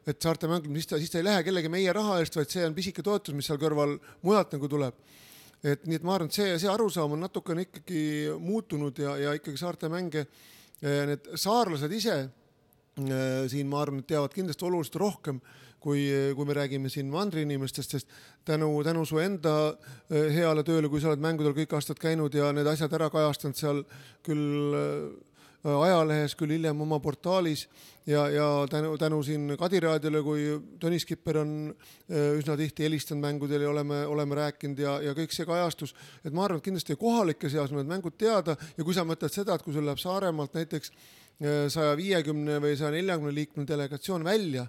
et saarte mängud, siis ta ei lähe kellegi meie raha eest, vaid see on pisike toetus, mis seal kõrval mujalt nagu tuleb. Et nii et ma arvan, et see arusaam on natukene ikkagi muutunud ja ikkagi saarte mänge need saarlased ise siin, ma arvan, et teavad kindlasti oluliselt rohkem, kui me räägime siin mandriinimestest, sest tänu su enda heale tööle, kui sa oled mängudel kõik aastad käinud ja need asjad ära kajastanud seal küll ajalehes, küll hiljem oma portaalis ja tänu siin Kadiraadiole, kui Tõnis Kipper on üsna tihti helistanud mängudel ja oleme rääkinud ja kõik see kajastus, et ma arvan, et kindlasti kohalike seas on need mängud teada ja kui sa mõtled seda, et kui sul läheb Saaremaalt näiteks 150 või 140 liikmel delegatsioon välja,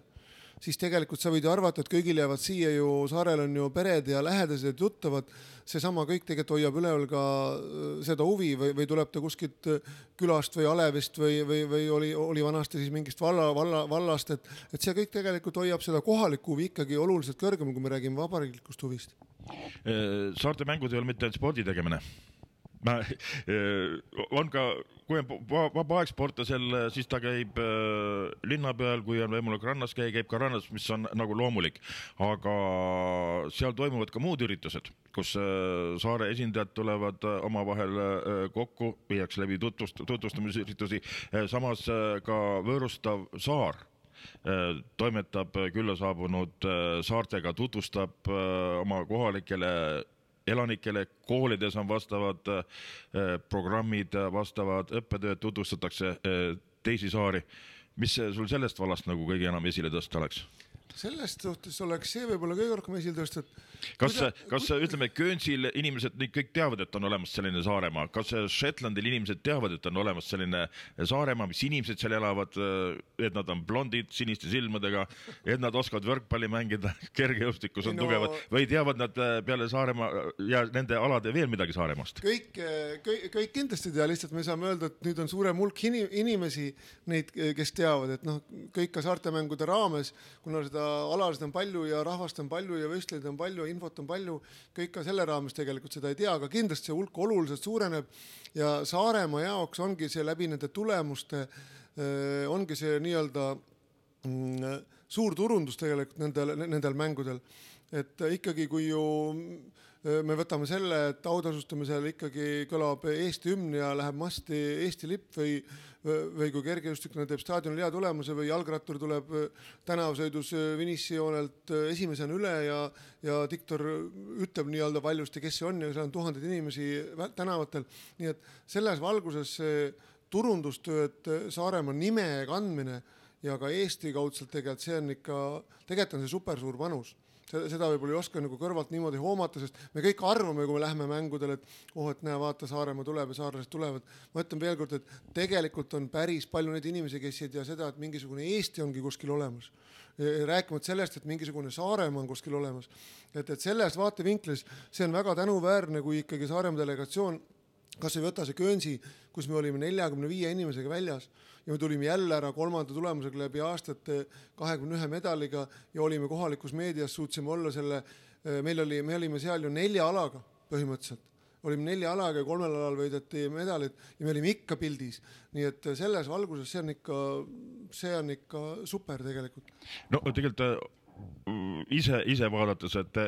siis tegelikult sa võid arvata, et kõigil jäävad siia ju, saarel on ju pered ja lähedased ja tuttavad, seesama kõik tegelikult hoiab üleval ka seda huvi või tuleb ta kuskilt külast või alevist või oli vanasti siis mingist vallast, et see kõik tegelikult hoiab seda kohalikku huvi ikkagi oluliselt kõrgemal, kui me räägime vabariiklikust huvist. Saarte mängud ei ole mitte ainult spordi tegemine. On ka, kui on vaba aeg sportlasel, siis ta käib linna peal, kui on võimalik rannas käib ka rannas, mis on nagu loomulik, aga seal toimuvad ka muud üritused, kus saare esindajad tulevad omavahel kokku, viiakse läbi tutvustamisüritusi, samas ka võõrustav saar toimetab külla saabunud saartega, tutvustab oma kohalikele elanikele, koolides on vastavad programmid, vastavad õppetööd, tutvustatakse teisi saari. Mis sul sellest vallast nagu kõige enam esile tõsta oleks? Sellest suhtes oleks see võib-olla kõige rohkem esile tõsta, kas ütleme, Guernsey'l inimesed kõik teavad, et on olemas selline Saaremaa, kas Shetlandil inimesed teavad, et on olemas selline Saaremaa, mis inimesed seal elavad, et nad on blondid, siniste silmadega, et nad oskavad võrkpalli mängida, kergejõustikus on tugevad, või teavad nad peale Saaremaa ja nende alade veel midagi Saaremaast? Kõik kindlasti tea, lihtsalt me saame öelda, et nüüd on suurem hulk inimesi, neid, kes teavad, et kõik ka saartemängude raames, kuna seda alasid on palju ja rahvast on palju ja võistleid on palju, infot on palju, kõik ka selle raames tegelikult seda ei tea, aga kindlasti see hulk oluliselt suureneb ja Saaremaa jaoks ongi see läbi nende tulemuste, ongi see nii-öelda suur turundus tegelikult nendel mängudel. Et ikkagi kui ju me võtame selle, et autasustamisel ikkagi kõlab Eesti hümn ja läheb masti Eesti lipp või kui kergejõustikuna teeb staadionil hea tulemuse või jalgrattur tuleb tänavasõidus finishijoonelt esimesena üle ja diktor ütleb nii-öelda valjusti, kes see on ja seal on tuhandeid inimesi tänavatel. Nii et selles valguses see turundustöö, et Saaremaa nime kandmine ja ka Eesti kaudselt tegelikult see on ikka, tegelikult on see super suur panus. Seda võib-olla ei oska nagu kõrvalt niimoodi hoomata, sest me kõik arvame, kui me läheme mängudele, et näe, vaata, Saaremaa tuleb ja saarlased tulevad. Ma ütlen veel kord, et tegelikult on päris palju neid inimesi, kes ei tea seda, et mingisugune Eesti ongi kuskil olemas. Rääkimata sellest, et mingisugune Saaremaa on kuskil olemas. Et selles vaatevinklis see on väga tänuväärne, kui ikkagi Saaremaa delegatsioon, kas ei võta see Guernsey, kus me olime 45 inimesega väljas ja me tulime jälle ära kolmanda tulemusega läbi aastate 21 medaliga ja olime kohalikus meedias, suutsime olla selle, me olime seal ju 4 alaga põhimõtteliselt. Olime 4 alaga ja 3 alal võideti medalid ja me olime ikka pildis. Nii et selles valguses see on ikka super tegelikult. No tegelikult ise vaadates, et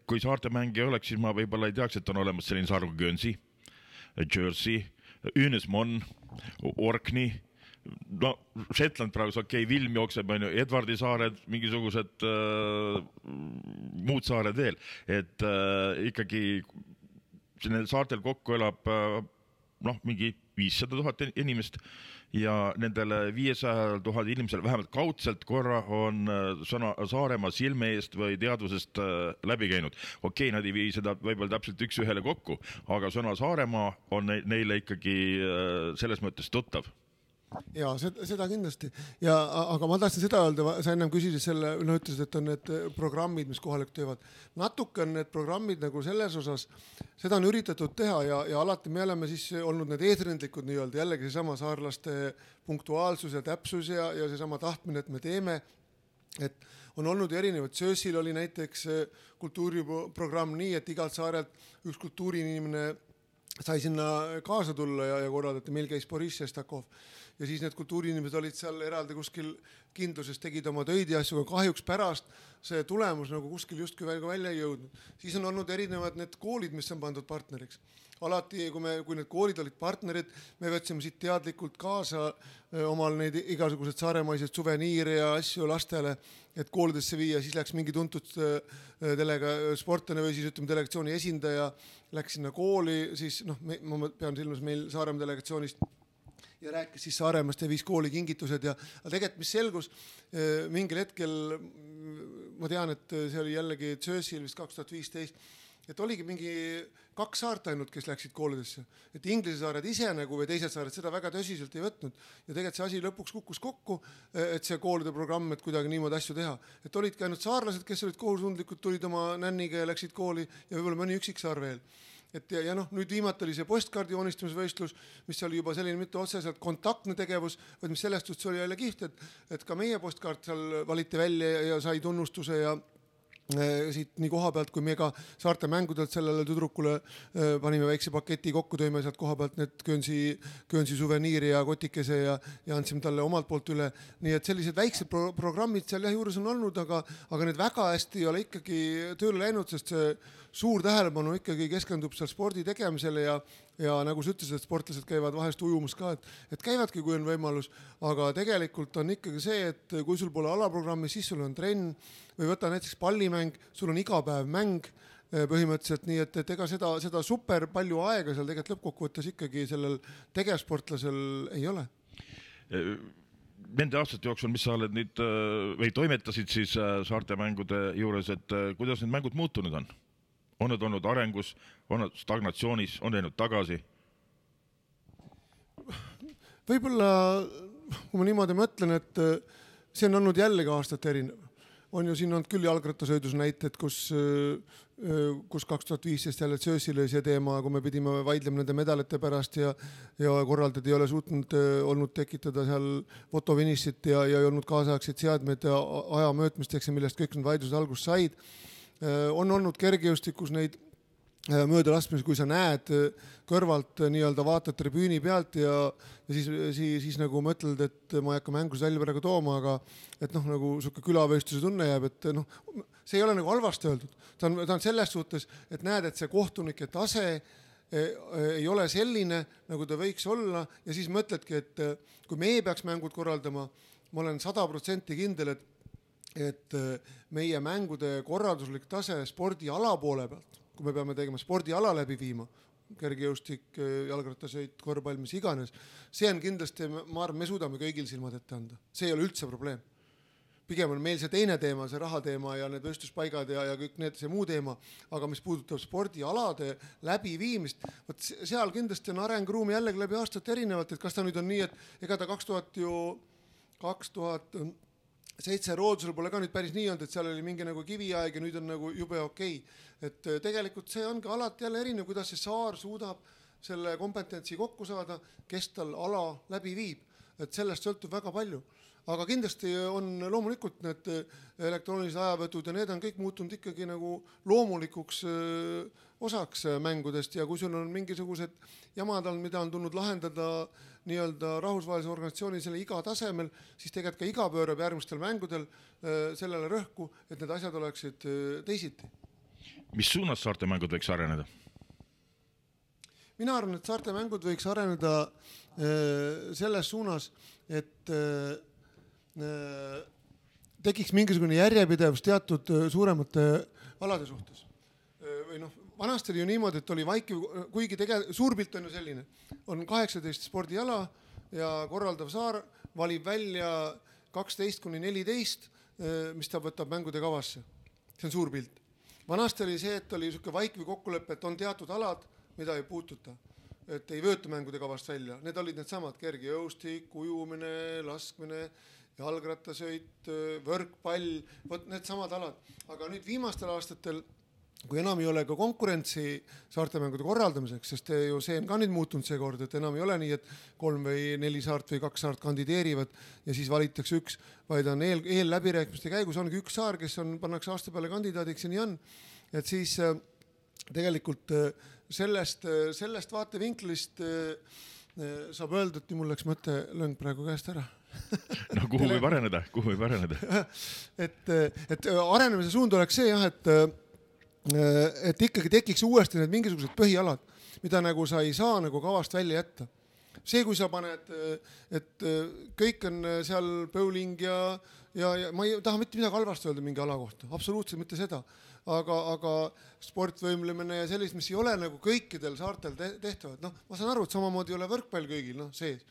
kui saarte mängi oleks, siis ma võib-olla ei teaks, et on olemas selline saar kui Guernsey, Jersey, Unismon, Orkney, no Shetland praegu Vilm jookseb, Edvardi saared, mingisugused muud saared veel, et ikkagi saartel kokku elab mingi 500 000 inimest ja nendele 500 000 inimesel vähemalt kaudselt korra on sõna Saaremaa silme eest või teadvusest läbi käinud. Okei, nad ei vii seda võib-olla täpselt üks ühele kokku, aga sõna Saaremaa on neile ikkagi selles mõttes tuttav. Ja seda kindlasti. Aga ma tahtsin seda öelda, sa ennem küsisid selle, ütlesid, et on need programmid, mis kohalikud teevad. Natuke on need programmid nagu selles osas, seda on üritatud teha ja alati me oleme siis olnud need eesrindlikud nii-öelda, jällegi seesama saarlaste punktuaalsus ja täpsus ja seesama tahtmine, et me teeme, et on olnud erinevad. Söösil oli näiteks kultuuriprogramm nii, et igalt saarelt üks kultuuriinimene sai sinna kaasa tulla ja korraldati, meil käis Boris Šestakov. Ja siis need kultuuriinimesed olid seal eraldi kuskil kindluses, tegid oma töid ja asju, aga kahjuks pärast see tulemus nagu kuskil justkui välja ei jõudnud. Siis on olnud erinevad need koolid, mis on pandud partneriks. Alati, kui need koolid olid partnerid, me võtsime siit teadlikult kaasa omal neid igasugused saaremaised suveniire ja asju lastele, et koolidesse viia, siis läks mingi tuntud sportlane või siis ütleme delegatsiooni esindaja, läks sinna kooli, siis ma pean silmas meil Saaremaa delegatsioonist ja rääkis siis Saaremaast ja viis kooli kingitused ja tegelikult mis selgus mingil hetkel, ma tean, et see oli jällegi Jersey'l vist 2015, et oligi mingi 2 saart ainult, kes läksid koolidesse, et Inglise saared ise nagu või teised saared seda väga tõsiselt ei võtnud ja tegelikult see asi lõpuks kukkus kokku, et see koolide programm, et kuidagi niimoodi asju teha, et olidki ainult saarlased, kes olid kohusundlikud, tulid oma nänniga ja läksid kooli ja võib-olla mõni üksik saar veel. Et ja nüüd viimati oli see postkaardi joonistamisvõistlus, mis oli juba selline mitte otseselt kontaktne tegevus, vaid mis sellest just oli jälle kiht, et ka meie postkaart seal valiti välja ja sai tunnustuse ja siit nii koha pealt, kui me ka saarte mängudelt sellele tüdrukule panime väikse paketi kokku, tõime sealt koha pealt need Guernsey suveniiri ja kotikese ja andsime talle omalt poolt üle. Nii et sellised väiksed programmid seal juures on olnud, aga need väga hästi ei ole ikkagi tööle läinud, sest see suur tähelepanu ikkagi keskendub seal spordi tegemisele ja nagu sa ütlesid, et sportlased käivad vahest ujumus ka, et käivadki, kui on võimalus, aga tegelikult on ikkagi see, et kui sul pole alaprogrammi, siis sul on trenn või võta näiteks pallimäng, sul on iga päev mäng, põhimõtteliselt, nii et ega seda super palju aega seal tegelikult lõppkokkuvõttes ikkagi sellel tegevsportlasel ei ole. Nende aastate jooksul, mis sa oled nüüd või toimetasid siis Saarte mängude juures, et kuidas need mängud muutunud on? On need olnud arengus, on need stagnatsioonis, on läinud tagasi? Võib-olla, kui ma niimoodi mõtlen, et see on olnud jällegi aastate erinev. On ju siin olnud küll jalgrattasõidus näited, kus 2015 jälle Söösile see teema, kui me pidime vaidlema nende medalite pärast ja korraldajad ei ole suutnud olnud tekitada seal fotofinissit ja ei olnud kaasaegseid seadmeid aja mõõtmisteks, millest kõik need vaidlused algust said. On olnud kergejõustikus neid mööda laskmisi, kui sa näed kõrvalt nii-öelda vaatad tribüüni pealt ja siis nagu mõtled, et ma ei hakka mängus välja praegu tooma, aga et nagu siuke külavõistluse tunne jääb, et see ei ole nagu halvasti öeldud. Ta on selles suhtes, et näed, et see kohtunike tase ei ole selline, nagu ta võiks olla ja siis mõtledki, et kui meie peaks mängud korraldama, ma olen 100% kindel, et meie mängude korralduslik tase spordiala poole pealt, kui me peame tegema spordiala läbi viima, kergejõustik, jalgrattasõit, korvpall, mis iganes, see on kindlasti, ma arvan, me suudame kõigil silmad ette anda. See ei ole üldse probleem. Pigem on meil see teine teema, see rahateema ja need võistluspaigad ja kõik need, see muu teema, aga mis puudutab spordialade läbiviimist, võt seal kindlasti on arengruumi jällegi läbi aastat erinevalt, et kas ta nüüd on nii, et ega ta 2007 Roodusel pole ka nüüd päris nii olnud, et seal oli mingi nagu kiviaeg ja nüüd on nagu jube okei. Et tegelikult see ongi alati jälle erinev, kuidas see saar suudab selle kompetentsi kokku saada, kes tal ala läbi viib. Et sellest sõltub väga palju. Aga kindlasti on loomulikult need elektroonilised ajavõtud ja need on kõik muutunud ikkagi nagu loomulikuks osaks mängudest ja kui sul on mingisugused jamad on, mida on tulnud lahendada nii-öelda rahvusvahelise organisatsiooni selle iga tasemel, siis tegelikult ka iga pöörab järgmistel mängudel sellele rõhku, et need asjad oleksid teisiti. Mis suunas Saarte mängud võiks areneda? Mina arvan, et Saarte mängud võiks areneda selles suunas, et tekiks mingisugune järjepidevus teatud suuremate alade suhtes. Või vanasti oli ju niimoodi, et oli vaikiv, kuigi suurpilt on ju selline, on 18 spordiala ja korraldav saar valib välja 12-14, mis ta võtab mängude kavasse. See on suurpilt. Vanasti oli see, et oli selline vaikiv kokkulepe, et on teatud alad, mida ei puututa. Et ei vööta mängude kavast välja. Need olid need samad kergejõustik, ujumine, laskmine, jalgrattasõit, võrkpall, need samad alad. Aga nüüd viimastel aastatel, kui enam ei ole ka konkurentsi Saarte mängude korraldamiseks, sest see on ka nüüd muutunud see kord, et enam ei ole nii, et 3 või 4 saart või 2 saart kandideerivad ja siis valitaks üks, vaid on eelläbirääkimiste käigus ongi üks saar, kes pannakse aasta peale kandidaadiks ja nii on. Et siis tegelikult sellest vaatevinklist saab öelda, et nii mul läks mõttelõng praegu käest ära. No kuhu võib areneda? Et arenemise suund oleks see, jah, et ikkagi tekiks uuesti need mingisugused põhialad, mida nagu sa ei saa nagu kavast välja jätta. See, kui sa paned, et kõik on seal bowling ja ma ei taha mitte midagi halvasti öelda mingi ala kohta, absoluutselt mitte seda, aga sportvõimlemine ja sellist, mis ei ole nagu kõikidel saartel tehtavad. Ma saan aru, et samamoodi ei ole võrkpall kõigil sees,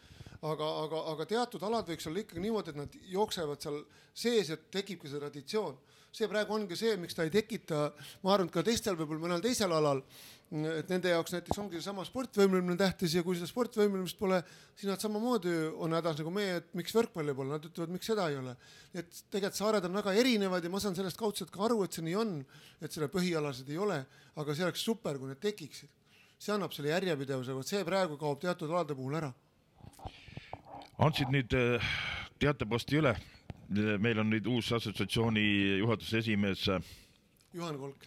aga teatud alad võiks olla ikkagi niimoodi, et nad jooksevad seal sees, et tekibki see traditsioon. See praegu ongi see, miks ta ei tekita, ma arvan, ka teistel võib-olla mõnel teisel alal, et nende jaoks näiteks ongi sama sportvõimlemine tähtis ja kui seda sportvõimlemist pole, siis nad samamoodi on hädas nagu meie, et miks võrkpalli pole, nad ütlevad, miks seda ei ole. Et tegelikult saared on väga erinevad ja ma saan sellest kaudselt ka aru, et see nii on, et selle põhialasid ei ole, aga see oleks super, kui need tekiksid. See annab selle järjepidevuse, see praegu kaob teatud alade puhul ära. Andsid nüüd teateposti üle. Meil on nüüd uus assotsiatsiooni juhatuse esimees Juhan Kolk.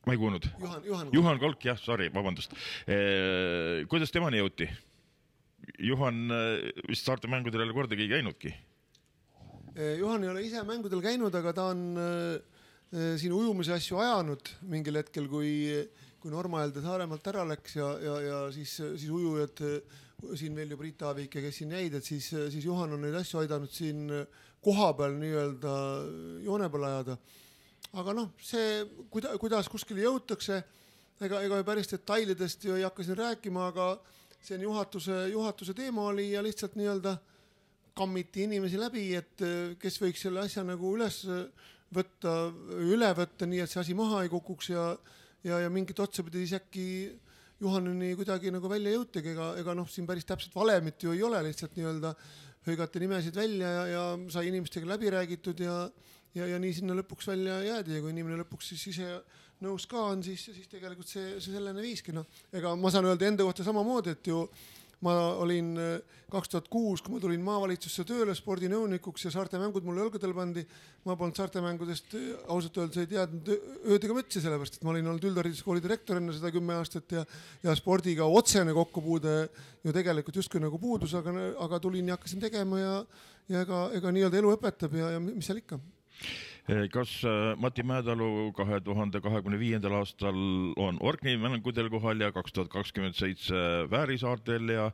Ma ei kuulnud. Juhan Kolk, jah, sorry, vabandust. Kuidas temani jõuti? Juhan vist Saarte mängudel ei ole kordagi käinudki. Juhan ei ole ise mängudel käinud, aga ta on siin ujumise asju ajanud mingil hetkel, kui Normaelde Saaremaalt ära läks ja siis ujujad siin veel ju Priit Aavik ja kes siin jäid, et siis Juhan on neid asju aidanud siin koha peal nii-öelda joone peal ajada. aga noh, see, kuidas kuskil jõutakse, ega päris detailidest ju ei hakka siin rääkima, aga see on juhatuse teema oli ja lihtsalt nii-öelda kammiti inimesi läbi, et kes võiks selle asja nagu üle võtta, nii et see asi maha ei kukuks ja mingit otsapidi siis äkki Juhaneni kuidagi nagu välja jõutegi, ega noh, siin päris täpselt valemit ju ei ole, lihtsalt nii-öelda hõigati nimesid välja ja sai inimestega läbi räägitud ja nii sinna lõpuks välja jäädi ja kui inimene lõpuks siis ise nõus ka on, siis tegelikult see sellene viiski. No, ega ma saan öelda enda kohta samamoodi, et ju ma olin 2006, kui ma tulin maavalitsusse tööle spordinõunikuks ja saarte mängud mulle õlgadel pandi. Ma polnud saarte mängudest ausalt öeldes ei teadnud öödega mütsi, sellepärast, et ma olin olnud üldhariduskooli direktor enne seda 10 aastat ja spordiga otsene kokkupuude ju tegelikult justkui nagu puudus, aga tulin ja hakkasin tegema ja ega nii-öelda elu õpetab ja mis seal ikka. Kas Mati Mäedalu 2025. aastal on Orkney mängudel kohal ja 2027 Väärisaartel ja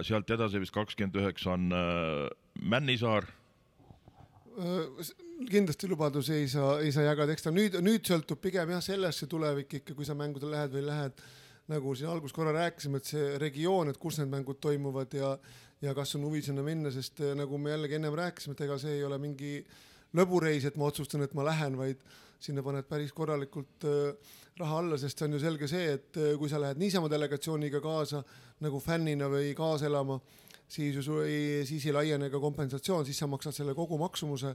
sealt edasi vist 29 on Männisaar? Kindlasti lubadusi ei saa jagada, eks ta nüüd sõltub pigem jah sellesse tulevik ikka, kui sa mängudel lähed või lähed, nagu siin alguses korra rääkisime, et see regioon, et kus need mängud toimuvad ja kas on huvi sinna minna, sest nagu me jällegi ennem rääkisime, et ega see ei ole mingi lõbureis, et ma otsustan, et ma lähen, vaid sinna paned päris korralikult raha alla, sest see on ju selge see, et kui sa lähed niisama delegatsiooniga kaasa nagu fännina või kaaselama, siis ei laiene ka kompensatsioon, siis sa maksad selle kogu maksumuse,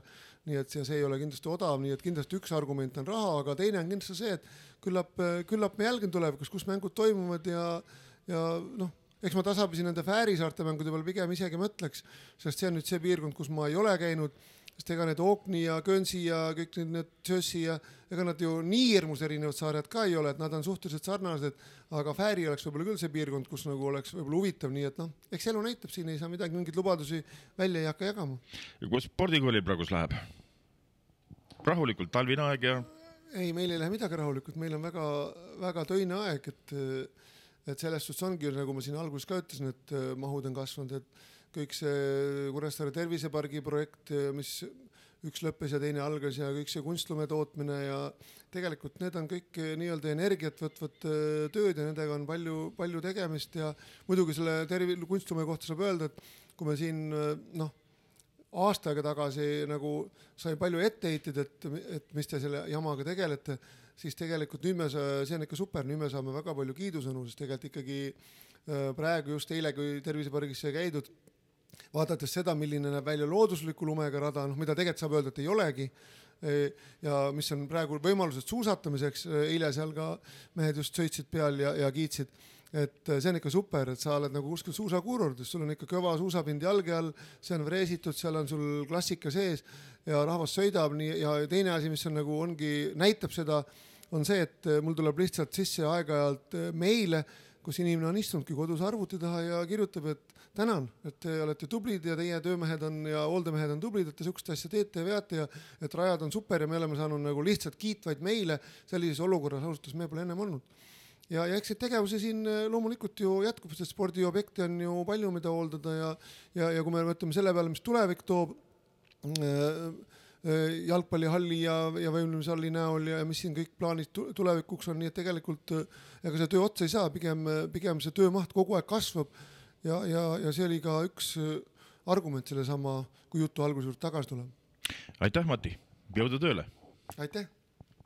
nii et see ei ole kindlasti odav, nii et kindlasti üks argument on raha, aga teine on kindlasti see, et küllap me jälgin tulevikus, kus mängud toimuvad ja noh, eks ma tasapisi nende Fäärisaarte mängude peal pigem isegi mõtleks, sest see on nüüd see piirkond, kus ma ei ole käinud, sest ega need Orkney ja Guernsey ja kõik need Jersey ja ega nad ju nii hirmus erinevad saarjad ka ei ole, et nad on suhteliselt sarnased, aga Fääri oleks võib-olla küll see piirkond, kus nagu oleks võib-olla huvitav, nii et noh, eks elu näitab, siin ei saa midagi, mingeid lubadusi välja ei hakka jagama. Ja kus spordikooli praegus läheb? Rahulikult talvine aeg ja... Ei, meil ei lähe midagi rahulikult, meil on väga, väga töine aeg, et selles suhtes ongi, nagu ma siin alguses ka ütlesin, et mahud on kasvanud, et kõik see Kuressaare tervisepargi projekt, mis üks lõppes ja teine algas ja kõik see kunstlume tootmine ja tegelikult need on kõik nii-öelda energiat võtvad tööd ja nendega on palju tegemist ja muidugi selle kunstlume kohta saab öelda, et kui me siin aasta aega tagasi nagu sai palju etteheited, et mis te selle jamaga tegelete, siis tegelikult see on ikka super, nüüd me saame väga palju kiidusõnu, sest tegelikult ikkagi praegu just eile, kui tervisepargisse käidud, vaadates seda, milline näeb välja loodusliku lumega rada, mida tegelikult saab öelda, et ei olegi ja mis on praegu võimalused suusatamiseks, eile seal ka mehed just sõitsid peal ja kiitsid, et see on ikka super, et sa oled nagu kuskil suusakuurordis, sul on ikka kõva suusapind jalge all, see on vreesitud, seal on sul klassika sees ja rahvas sõidab nii, ja teine asi, mis on nagu näitab seda, on see, et mul tuleb lihtsalt sisse aeg-ajalt meile, kus inimene on istunudki kodus arvuti taha ja kirjutab, et tänan, et te olete tublid ja teie töömehed on ja hooldemehed on tublid, et te sukust asja teete ja veate ja et rajad on super ja me oleme saanud nagu lihtsalt kiitvaid meile sellises olukorras ausalt, me pole ennem olnud. Ja eks tegevusi siin loomulikult ju jätkub, sest spordiobjekte on ju palju, mida hooldada ja kui me mõtleme selle peale, mis tulevik toob jalgpallihalli ja võimlemishalli näol ja mis siin kõik plaanid tulevikuks on, nii et tegelikult ega see töö otsa ei saa, pigem see töömaht kogu aeg kasvab ja see oli ka üks argument selle sama, kui jutu alguse juurde tagasi tuleb. Aitäh, Mati, jõudu tööle! Aitäh!